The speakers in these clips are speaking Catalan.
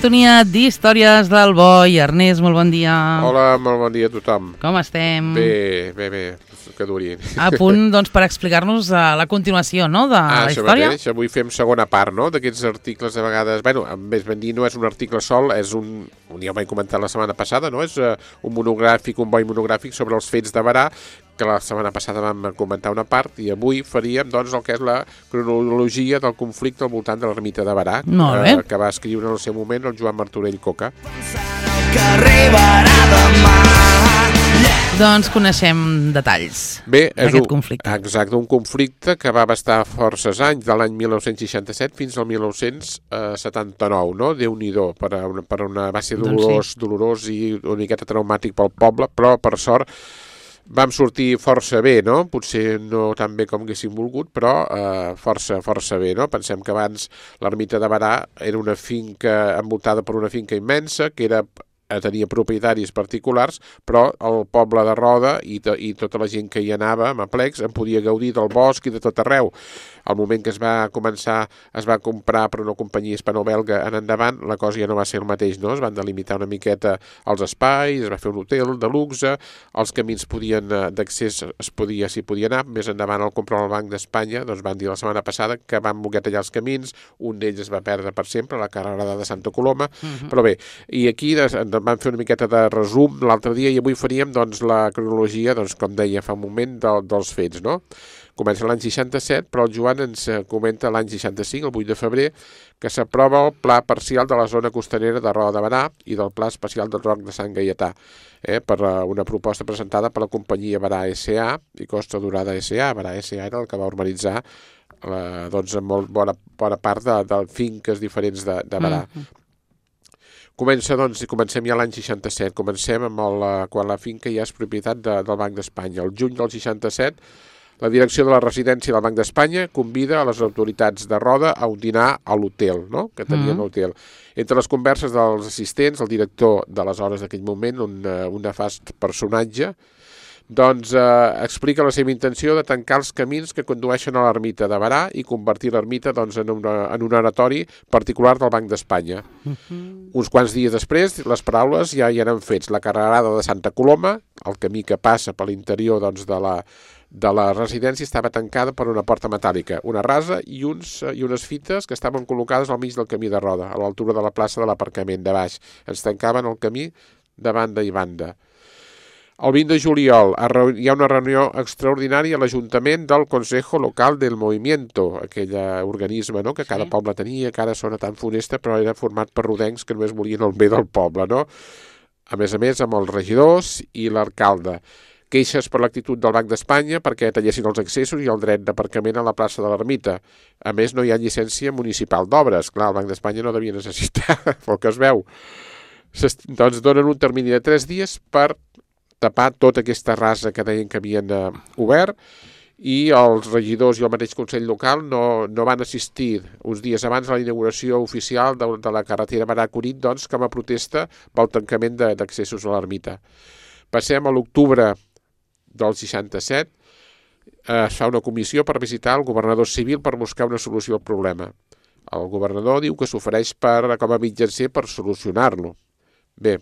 sintonia d'Històries del Boi. Ernest, molt bon dia. Hola, molt bon dia a tothom. Com estem? Bé, que duri. A punt, doncs, per explicar-nos la continuació, no?, de la història. Mateix. Avui fem segona part, no?, d'aquests articles de vegades... Bueno, més ben dir, no és un article sol, és ja ho vaig comentar la setmana passada, no?, és un monogràfic, un boi monogràfic sobre els fets de Berà, que la setmana passada vam comentar una part, i avui faríem, doncs, el que és la cronologia del conflicte al voltant de l'ermita de Berà, que va escriure en el seu moment el Joan Martorell Coca. Doncs coneixem detalls d'aquest conflicte. Exacte, un conflicte que va abastar forces anys, de l'any 1967 fins al 1979, no? Déu-n'hi-do, va ser dolorós i una miqueta traumàtic pel poble, però per sort vam sortir força bé, no? Potser no tan bé com haguéssim volgut, però força bé, no? Pensem que abans l'ermita de Berà era una finca envoltada per una finca immensa, que tenia propietaris particulars, però el poble de Roda i tota la gent que hi anava amb aplecs en podia gaudir del bosc i de tot arreu. Al moment que es va comprar per una companyia hispano-belga en endavant, la cosa ja no va ser el mateix, no? Es van delimitar una miqueta els espais, es va fer un hotel de luxe, els camins d'accés s'hi podia anar. Més endavant, al comprar el Banc d'Espanya, doncs van dir la setmana passada que van voler tallar els camins, un d'ells es va perdre per sempre, la carrerada de Santa Coloma, però bé, i aquí vam fer una miqueta de resum l'altre dia i avui faríem, doncs, la cronologia, doncs, com deia fa un moment, dels fets, no? Comença l'any 67, però el Joan ens comenta l'any 65, el 8 de febrer, que s'aprova el Pla Parcial de la Zona Costanera de Roda de Berà i del Pla Especial del Roc de Sant Gaietà, per una proposta presentada per la companyia Berà S.A. i Costa Dorada S.A. Berà S.A. era el que va urbanitzar doncs, en molt bona part de finques diferents de Berà. Comencem ja l'any 67, comencem amb quan la finca ja és propietat del Banc d'Espanya. El juny del 67, la direcció de la residència del Banc d'Espanya convida a les autoritats de Roda a un dinar a l'hotel, no?, que tenien l'hotel. Entre les converses dels assistents, el director d'aleshores d'aquell moment, un nefast personatge, doncs explica la seva intenció de tancar els camins que condueixen a l'ermita de Berà i convertir l'ermita, doncs, en un oratori particular del Banc d'Espanya. Uns quants dies després, les paraules ja hi eren fets. La carrerada de Santa Coloma, el camí que passa per l'interior, doncs, de la residència, estava tancada per una porta metàl·lica, una rasa i unes fites que estaven col·locades al mig del camí de Roda, a l'altura de la plaça de l'aparcament de baix. Ens tancaven el camí de banda i banda. El 20 de juliol hi ha una reunió extraordinària a l'Ajuntament del Consejo Local del Movimiento, aquell organisme, no?, que cada poble tenia, que ara sona tan funesta, però era format per rodencs que només volien el bé del poble, no? A més, amb els regidors i l'alcalde. Queixes per l'actitud del Banc d'Espanya perquè tallessin els accessos i el dret d'aparcament a la plaça de l'Ermita. A més, no hi ha llicència municipal d'obres. Clar, el Banc d'Espanya no devia necessitar, pel que es veu. Doncs donen un termini de 3 dies per tapar tota aquesta rasa que deien que havien obert, i els regidors i el mateix Consell Local no van assistir uns dies abans a la inauguració oficial de la carretera Berà-Cunit, doncs, com a protesta pel tancament d'accessos a l'ermita. Passem a l'octubre del 67, es fa una comissió per visitar el governador civil per buscar una solució al problema. El governador diu que s'ofereix com a mitjancer per solucionar-lo. Bé,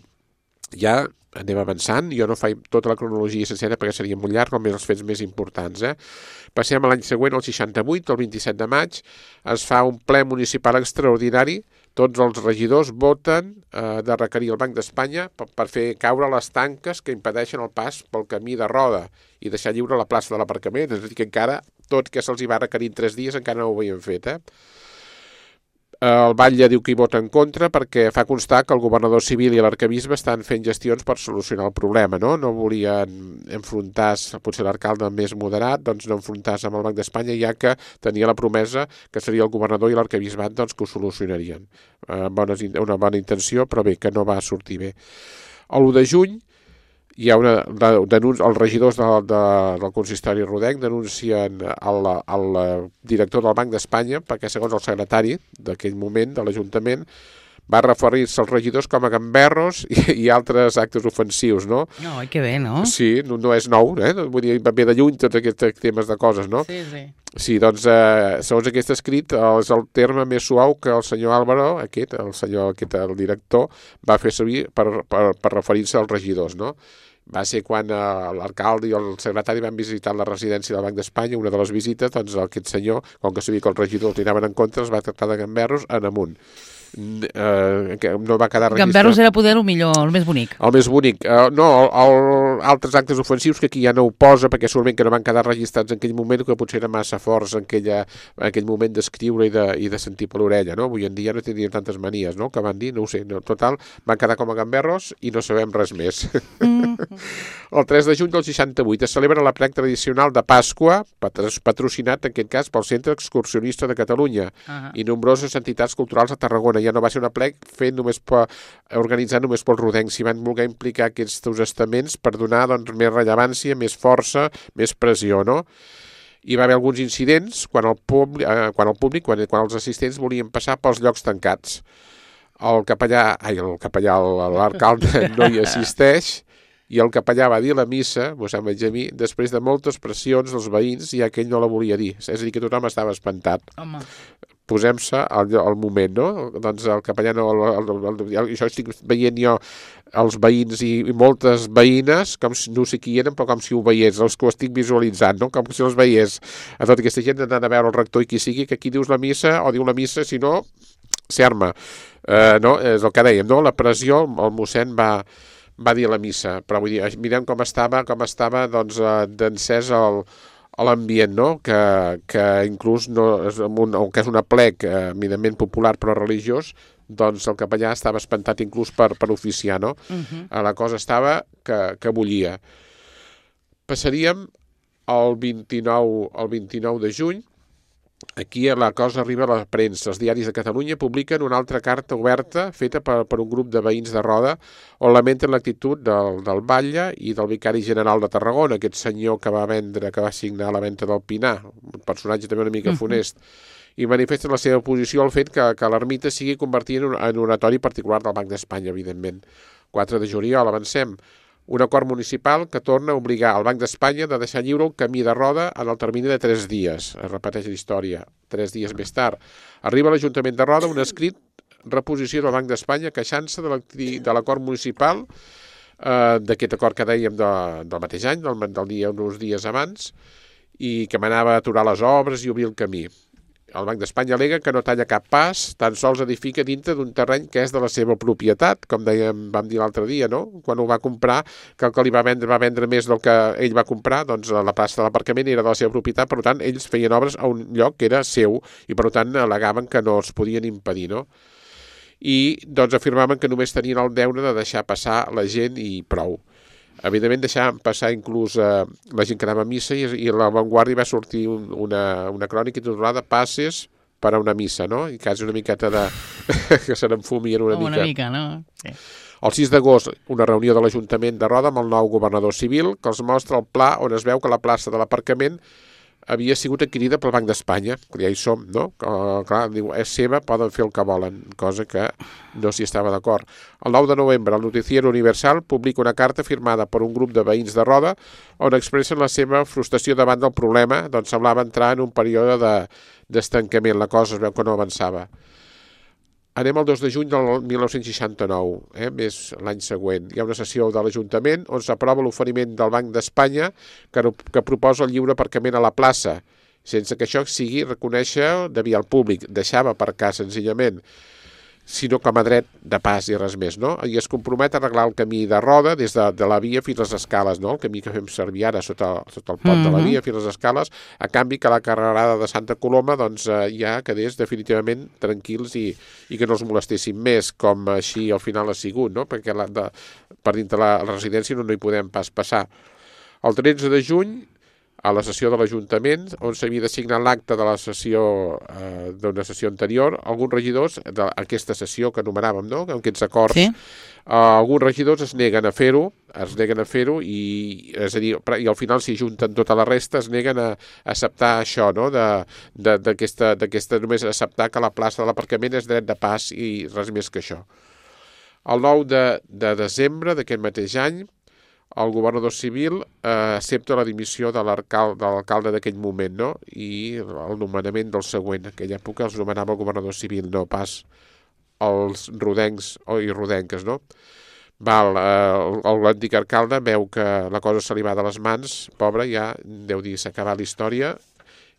ja anem avançant, jo no faig tota la cronologia sencera perquè seria molt llarg, només els fets més importants. Passem a l'any següent, el 68, el 27 de maig, es fa un ple municipal extraordinari, tots els regidors voten de requerir el Banc d'Espanya per fer caure les tanques que impedeixen el pas pel camí de Roda i deixar lliure la plaça de l'aparcament, és a dir, que encara, tot que se'ls hi va requerir en 3 dies, encara no ho havien fet, El batlle diu que hi vota en contra perquè fa constar que el governador civil i l'arquebisbe estan fent gestions per solucionar el problema, no? No volien enfrontar-se, potser l'alcalde més moderat, doncs no enfrontar-se amb el Banc d'Espanya, ja que tenia la promesa que seria el governador i l'arquebisbat, doncs, que ho solucionarien. Una bona intenció, però bé, que no va sortir bé. L'1 de juny hi ha els regidors del consistori rodenc denuncien al director del Banc d'Espanya perquè, segons el secretari d'aquell moment de l'Ajuntament, va referir-se als regidors com a gamberros i altres actes ofensius, no? No, que bé, no? Sí, no és nou, vull dir, va bé de lluny tots aquests temes de coses, no? Sí, sí. Sí, doncs, segons aquest escrit, és el terme més suau que el senyor Álvaro, el director, va fer servir per referir-se als regidors, no? Va ser quan l'alcalde i el secretari van visitar la residència del Banc d'Espanya, una de les visites, doncs aquest senyor, com que sabia que els regidors li anaven en contra, els va tractar de gamberros en amunt. No va quedar registrat. Gamberros era poder el millor, el més bonic. El més bonic. No, altres actes ofensius que aquí ja no ho posa, perquè segurament que no van quedar registrats en aquell moment, que potser era massa forts en aquell moment d'escriure i de sentir per l'orella, no? Avui en dia no tindríem tantes manies, no?, que van dir, no ho sé, no, total, van quedar com a gamberros i no sabem res més. El 3 de juny del 68 es celebra l'aplec tradicional de Pasqua, patrocinat en aquest cas pel Centre Excursionista de Catalunya i nombroses entitats culturals a Tarragona. Ja no va ser un aplec organitzat només pels rodencs, s'hi van voler implicar aquests estaments per donar doncs, més rellevància, més força, més pressió, no? Hi va haver alguns incidents quan els assistents volien passar pels llocs tancats. L'alcalde no hi assisteix i el capellà va dir la missa, mossèn Benjamí, després de moltes pressions dels veïns, ja que ell no la volia dir. És a dir, que tothom estava espantat. Home. Posem-se al moment, no? Doncs el capellà no... Això estic veient jo els veïns i moltes veïnes, com si, no sé qui eren, però com si ho veiés, els que ho estic visualitzant, no? Com si els veiés a tota aquesta gent anant a veure el rector i qui sigui, que aquí dius la missa, o diu la missa, si no, s'arma. No? És el que dèiem, no? La pressió, el mossèn va dir la missa, però vull dir, mirem com estava doncs, d'encès l'ambient, no? Que inclús que és un aplec eminentment popular però religiós, doncs el capellà estava espantat inclús per oficiar, no? La cosa estava que bullia. Passaríem el 29 de juny. Aquí la cosa arriba a la premsa. Els diaris de Catalunya publiquen una altra carta oberta feta per un grup de veïns de Roda on lamenten l'actitud del batlle i del vicari general de Tarragona, aquest senyor que va signar la venda del Pinar, un personatge també una mica funest, i manifesten la seva oposició al fet que l'ermita sigui convertida en un oratori particular del Banc d'Espanya, evidentment. 4 de juliol, avancem. Un acord municipal que torna a obligar el Banc d'Espanya de deixar lliure el camí de Roda en el termini de 3 dies. Es repeteix la història. 3 dies més tard arriba a l'Ajuntament de Roda un escrit reposició del Banc d'Espanya queixant-se de l'acord municipal, d'aquest acord que dèiem del mateix any, del dia uns dies abans, i que manava a aturar les obres i obrir el camí. El Banc d'Espanya al·lega que no talla cap pas, tan sols edifica dintre d'un terreny que és de la seva propietat, com vam dir l'altre dia, no? Quan ho va comprar, que el que li va vendre més del que ell va comprar, doncs la plaça de l'aparcament era de la seva propietat, per tant, ells feien obres a un lloc que era seu i, per tant, al·legaven que no es podien impedir, no? I, doncs, afirmaven que només tenien el deure de deixar passar la gent i prou. Evidentment deixar passar inclús la gent que anava a missa i a La Vanguardia va sortir una crònica titulada Passes per a una missa, no? I quasi una miqueta que se n'enfumien una mica. Una mica, no? Sí. El 6 d'agost, una reunió de l'Ajuntament de Roda amb el nou governador civil que els mostra el pla on es veu que la plaça de l'aparcament havia sigut adquirida pel Banc d'Espanya. Ja hi som, no? Clar, diu, és seva, poden fer el que volen, cosa que no s'hi estava d'acord. El 9 de novembre, el Noticiero Universal publica una carta firmada per un grup de veïns de Roda on expressen la seva frustració davant del problema, doncs semblava entrar en un període d'estancament. La cosa es veu que no avançava. Anem al 2 de juny del 1969, més l'any següent. Hi ha una sessió de l'Ajuntament on s'aprova l'oferiment del Banc d'Espanya que proposa el lliure aparcament a la plaça, sense que això sigui reconèixer de via al públic. Deixava aparcar senzillament, sinó com a dret de pas i res més, no? I es compromet a arreglar el camí de Roda des de la via fins a les escales, no? El camí que fem servir ara sota el pont de la via fins a les escales, a canvi que la carrerada de Santa Coloma doncs, ja quedés definitivament tranquils i que no els molestessin més, com així al final ha sigut, no? Perquè per dintre la residència no hi podem pas passar. El 13 de juny a la sessió de l'Ajuntament, on s'havia de signar l'acte de la sessió d'una sessió anterior, alguns regidors d'aquesta sessió que enumeràvem, no? Amb aquests acords, Sí. Alguns regidors es neguen a fer-ho, i, és a dir, i al final s'hi junten tota la resta, es neguen a acceptar això, no? D'aquesta només acceptar que la plaça de l'aparcament és dret de pas i res més que això. El 9 de desembre d'aquest mateix any, el governador civil accepta la dimissió de l'alcalde d'aquell moment, no? I el nomenament del següent. En aquella època els nomenava el governador civil, no pas els rodencs i rodenques, no? L'antic alcalde veu que la cosa se li va de les mans, pobre, ja deu dir, s'ha acabat la història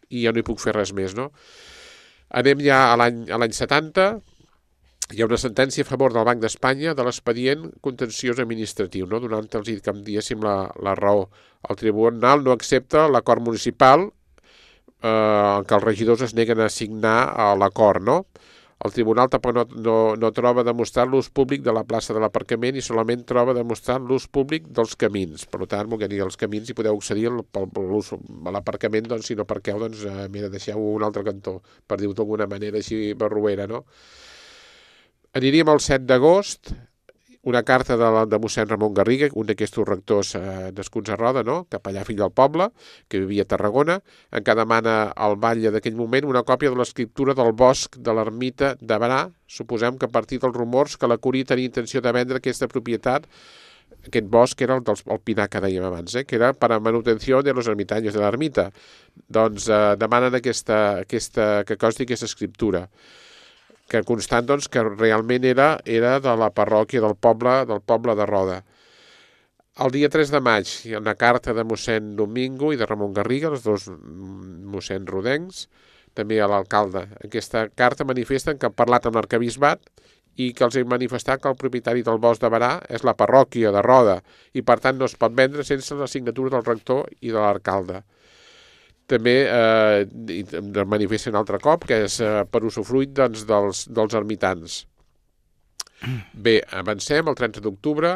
i ja no hi puc fer res més, no? Anem ja a l'any 70, hi ha una sentència a favor del Banc d'Espanya de l'expedient contenciós administratiu, no? Donant-los, com diguéssim, la raó. El tribunal no accepta l'acord municipal en què els regidors es neguen a signar l'acord, no? El tribunal tampoc no troba demostrar l'ús públic de la plaça de l'aparcament i solament troba demostrar l'ús públic dels camins. Per tant, vol dir, els camins hi podeu accedir per l'ús a l'aparcament, doncs si no parqueu, doncs mira, deixeu un altre cantó, per dir-ho d'alguna manera així barruera, no? Aniríem al 7 d'agost, una carta de mossèn Ramon Garriga, un d'aquests rectors nascuts a Roda, no? Capellà fill del poble, que vivia a Tarragona, en què demana al batlle d'aquell moment una còpia de l'escriptura del bosc de l'ermita de Barà. Suposem que a partir dels rumors que la Curia tenia intenció de vendre aquesta propietat, aquest bosc era el pinar que dèiem abans, que era per a manutenció de los ermitaños de l'ermita. Doncs demanen que consti aquesta escriptura, que constant, doncs, que realment era de la parròquia del poble de Roda. El dia 3 de maig hi ha una carta de mossèn Domingo i de Ramon Garriga, els dos mossèn rodencs, també a l'alcalde. Aquesta carta manifesten que han parlat amb l'arquebisbat i que els han manifestat que el propietari del bosc de Barà és la parròquia de Roda i, per tant, no es pot vendre sense la signatura del rector i de l'alcalde. També manifesta un altre cop, que és per usufruit dels ermitans. Bé, avancem, el 30 d'octubre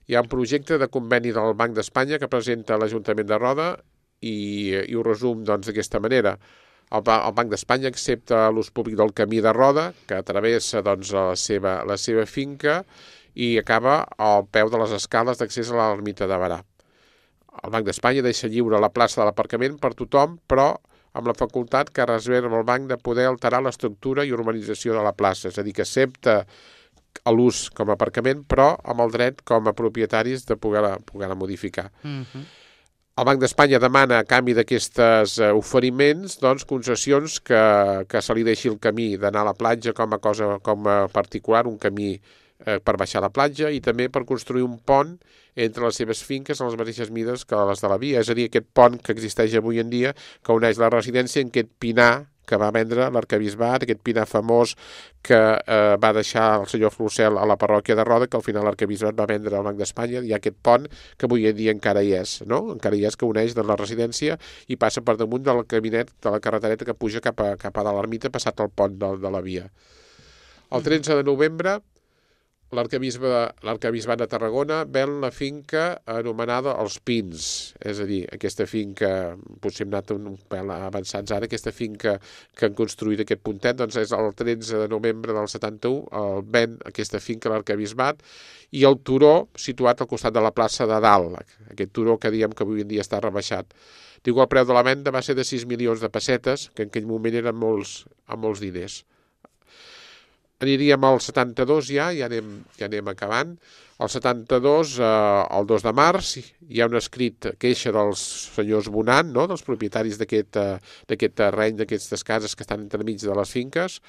hi ha un projecte de conveni del Banc d'Espanya que presenta l'Ajuntament de Roda i ho resum d'aquesta manera. El Banc d'Espanya accepta l'ús públic del camí de Roda, que travessa la seva finca i acaba al peu de les escales d'accés a l'ermita de Barà. El Banc d'Espanya deixa lliure la plaça de l'aparcament per tothom, però amb la facultat que reserva el banc de poder alterar l'estructura i urbanització de la plaça. És a dir, que accepta l'ús com a aparcament, però amb el dret com a propietaris de poder-la modificar. El Banc d'Espanya demana, a canvi d'aquests oferiments, doncs, concessions que se li deixi el camí d'anar a la platja com a particular, un camí per baixar a la platja i també per construir un pont entre les seves finques a les mateixes mides que les de la via. És a dir, aquest pont que existeix avui en dia que uneix la residència en aquest pinar que va vendre l'arquebisbat, aquest pinar famós que va deixar el senyor Flocel a la parròquia de Roda, que al final l'arquebisbat va vendre al Banc d'Espanya. Hi ha aquest pont que avui en dia encara hi és, no? Encara hi és, que uneix de la residència i passa per damunt del caminet de la carretereta que puja cap a de l'ermita passat el pont de la via. El 13 de novembre l'arquebisbat de Tarragona ven la finca anomenada Els Pins, és a dir, aquesta finca, potser hem anat un pèl avançats ara, aquesta finca que han construït aquest puntet, doncs és el 13 de novembre del 71, ven aquesta finca a l'arquebisbat i el turó situat al costat de la plaça de Dalt, aquest turó que diem que avui en dia està rebaixat. Diu que el preu de la venda va ser de 6 milions de pessetes, que en aquell moment eren molts diners. Aniríem al 72 ja anem acabant. El 72, el 2 de març, hi ha un escrit queixa dels senyors Bonant, no? Dels propietaris d'aquest terreny, d'aquestes cases que estan entremig de les finques,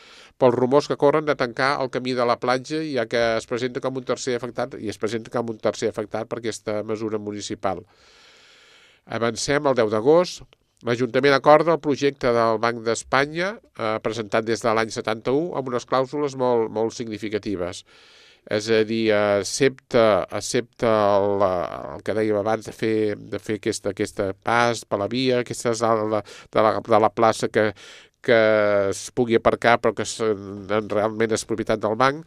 pels rumors que corren de tancar el camí de la platja, ja que es presenta com un tercer afectat, per aquesta mesura municipal. Avancem al 10 d'agost. L'Ajuntament acorda el projecte del Banc d'Espanya, presentat des de l'any 71, amb unes clàusules molt significatives. És a dir, accepta el que dèiem abans de fer aquesta pas per la via, aquesta de la plaça que es pugui aparcar però que realment és propietat del banc,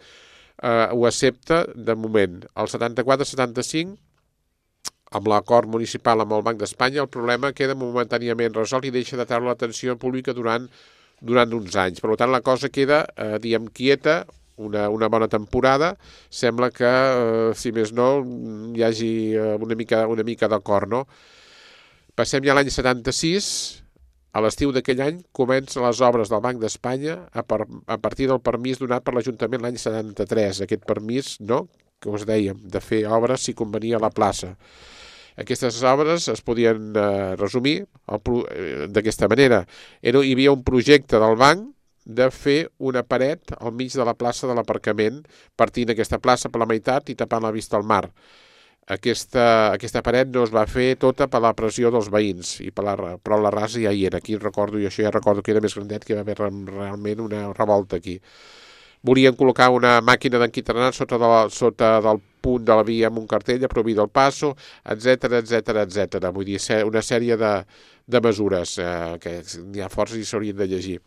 ho accepta de moment. El 74-75 amb l'acord municipal amb el Banc d'Espanya, el problema queda momentàniament resolt i deixa de treure l'atenció pública durant uns anys. Per tant, la cosa queda, diguem, quieta, una bona temporada. Sembla que, si més no, hi hagi una mica d'acord, no? Passem ja a l'any 76. A l'estiu d'aquell any comencen les obres del Banc d'Espanya a partir del permís donat per l'Ajuntament l'any 73. Aquest permís, no?, que us dèiem, de fer obres si convenia a la plaça. Aquestes obres es podien resumir d'aquesta manera. Hi havia un projecte del banc de fer una paret al mig de la plaça de l'aparcament, partint aquesta plaça per la meitat i tapant la vista al mar. Aquesta paret no es va fer tota per la pressió dels veïns, però la rasa ja hi era. Aquí recordo, i això ja recordo que era més grandet, que hi va haver realment una revolta aquí. Volien col·locar una màquina d'enquiternat sota del punt de la via amb un cartell a prohibir del passo, etc. Vull dir, una sèrie de mesures que n'hi ha força i s'haurien de llegir.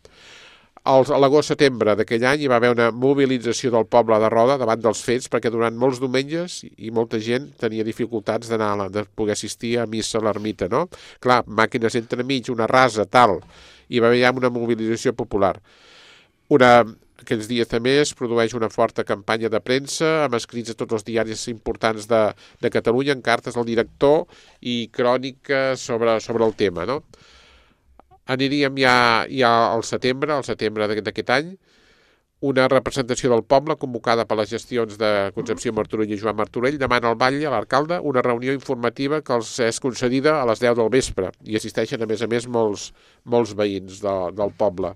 A l'agost-setembre d'aquell any hi va haver una mobilització del poble de Roda davant dels fets, perquè durant molts diumenges i molta gent tenia dificultats de poder assistir a missa a l'ermita, no? Clar, màquines entremig, una rasa, tal, i va haver ja una mobilització popular. Aquells dies també es produeix una forta campanya de premsa amb escrits a tots els diaris importants de Catalunya, en cartes al director i cròniques sobre el tema, no? Aniríem ja al setembre d'aquest any, una representació del poble convocada per les gestions de Concepció Martorell i Joan Martorell demana al batlle, a l'alcalde, una reunió informativa que els és concedida a les 10 del vespre i assisteixen, a més, molts veïns del poble.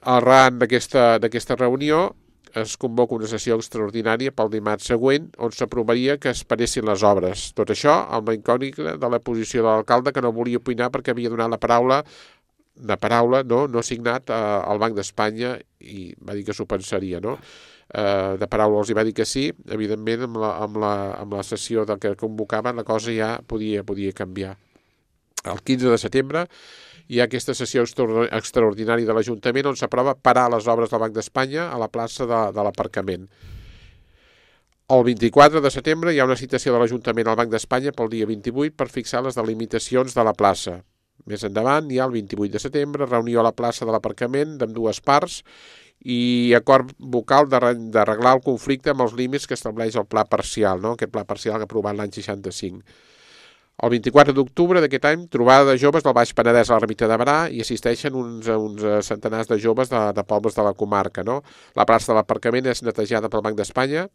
Arran d'aquesta reunió es convoca una sessió extraordinària pel dimarts següent on s'aprovaria que es paressin les obres. Tot això amb la incògnita de la posició de l'alcalde, que no volia opinar perquè havia donat la paraula no signat al Banc d'Espanya, i va dir que s'ho pensaria, no? De paraula els hi va dir que sí. Evidentment, amb la sessió que convocaven, la cosa ja podia canviar. El 15 de setembre hi ha aquesta sessió extraordinària de l'Ajuntament on s'aprova parar les obres del Banc d'Espanya a la plaça de l'aparcament. El 24 de setembre hi ha una citació de l'Ajuntament al Banc d'Espanya pel dia 28 per fixar les delimitacions de la plaça. Més endavant hi ha el 28 de setembre, reunió a la plaça de l'aparcament d'ambdues parts i acord vocal d'arreglar el conflicte amb els límits que estableix el pla parcial, no? Aquest pla parcial que ha aprovat l'any 65. El 24 d'octubre d'aquest any, trobada de joves del Baix Penedès a l'ermita de Berà i assisteixen uns centenars de joves de pobles de la comarca, no? La plaça de l'aparcament és netejada pel Banc d'Espanya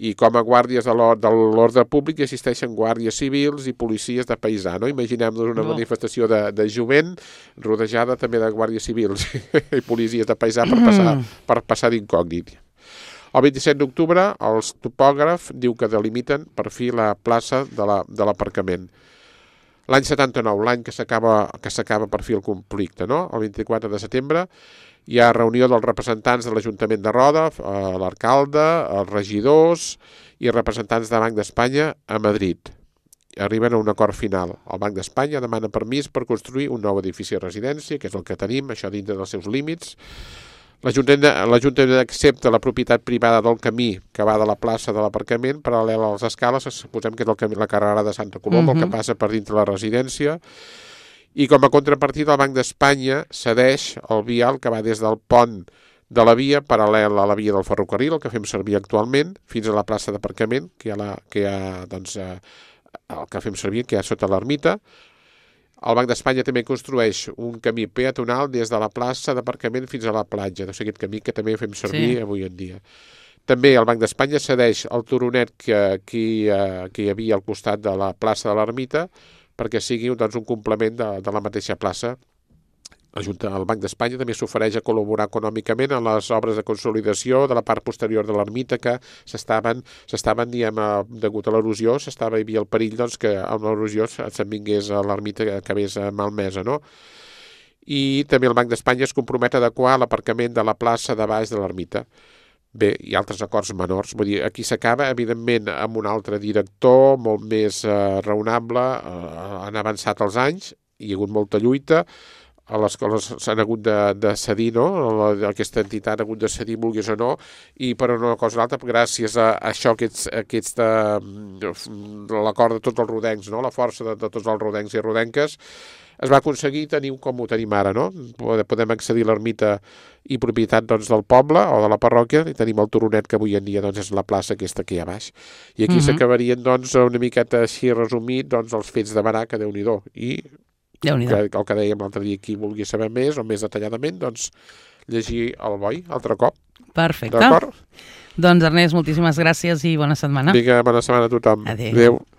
i com a guàrdies de l'ordre públic hi assisteixen guàrdies civils i policies de paisà, no? Imaginem-nos una manifestació de jovent rodejada també de guàrdies civils i policies de paisà per passar d'incògnit. El 27 d'octubre, el topògraf diu que delimiten per fi la plaça de l'aparcament. L'any 79, l'any que s'acaba per fi el conflicte, no? El 24 de setembre hi ha reunió dels representants de l'Ajuntament de Roda, l'alcalde, els regidors i representants del Banc d'Espanya a Madrid. Arriben a un acord final. El Banc d'Espanya demana permís per construir un nou edifici de residència, que és el que tenim, això dintre dels seus límits. L'Ajuntament accepta la propietat privada del camí que va de la plaça de l'aparcament paral·lel a les escales, suposem que és el camí, la carrera de Santa Coloma, el que passa per dintre la residència, i com a contrapartida el Banc d'Espanya cedeix el vial que va des del pont de la via paral·lel a la via del ferrocarril, el que fem servir actualment, fins a la plaça d'aparcament, que hi ha el que fem servir, que hi ha sota l'ermita. El Banc d'Espanya també construeix un camí peatonal des de la plaça d'aparcament fins a la platja, doncs aquest camí que també fem servir avui en dia. També el Banc d'Espanya cedeix el turonet que hi havia al costat de la plaça de l'ermita perquè sigui un complement de la mateixa plaça. El Banc d'Espanya també s'ofereix a col·laborar econòmicament en les obres de consolidació de la part posterior de l'ermita que s'estaven, degut a l'erosió, hi havia el perill que amb l'erosió se'n vingués a l'ermita que acabés malmesa, no? I també el Banc d'Espanya es compromet a adequar l'aparcament de la plaça de baix de l'ermita. Bé, hi ha altres acords menors. Vull dir, aquí s'acaba, evidentment, amb un altre director, molt més raonable, han avançat els anys, hi ha hagut molta lluita. les coses s'han hagut de cedir, no? Aquesta entitat ha hagut de cedir, vulguis o no, i per una cosa o altra, gràcies a això, l'acord de tots els rodencs, no? La força de tots els rodencs i rodenques, es va aconseguir tenir com ho tenim ara, no? Podem accedir a l'ermita i propietat doncs, del poble o de la parròquia, i tenim el turonet que avui en dia doncs, és la plaça aquesta que hi ha baix. I aquí s'acabarien doncs, una miqueta així resumit doncs, els fets de Berà, que Déu-n'hi-do. I el que dèiem l'altre dia, qui vulgui saber més o més detalladament, doncs llegir el Boi altre cop. Perfecte. D'acord? Doncs Ernest, moltíssimes gràcies i bona setmana. Vinga, bona setmana a tothom. Adéu.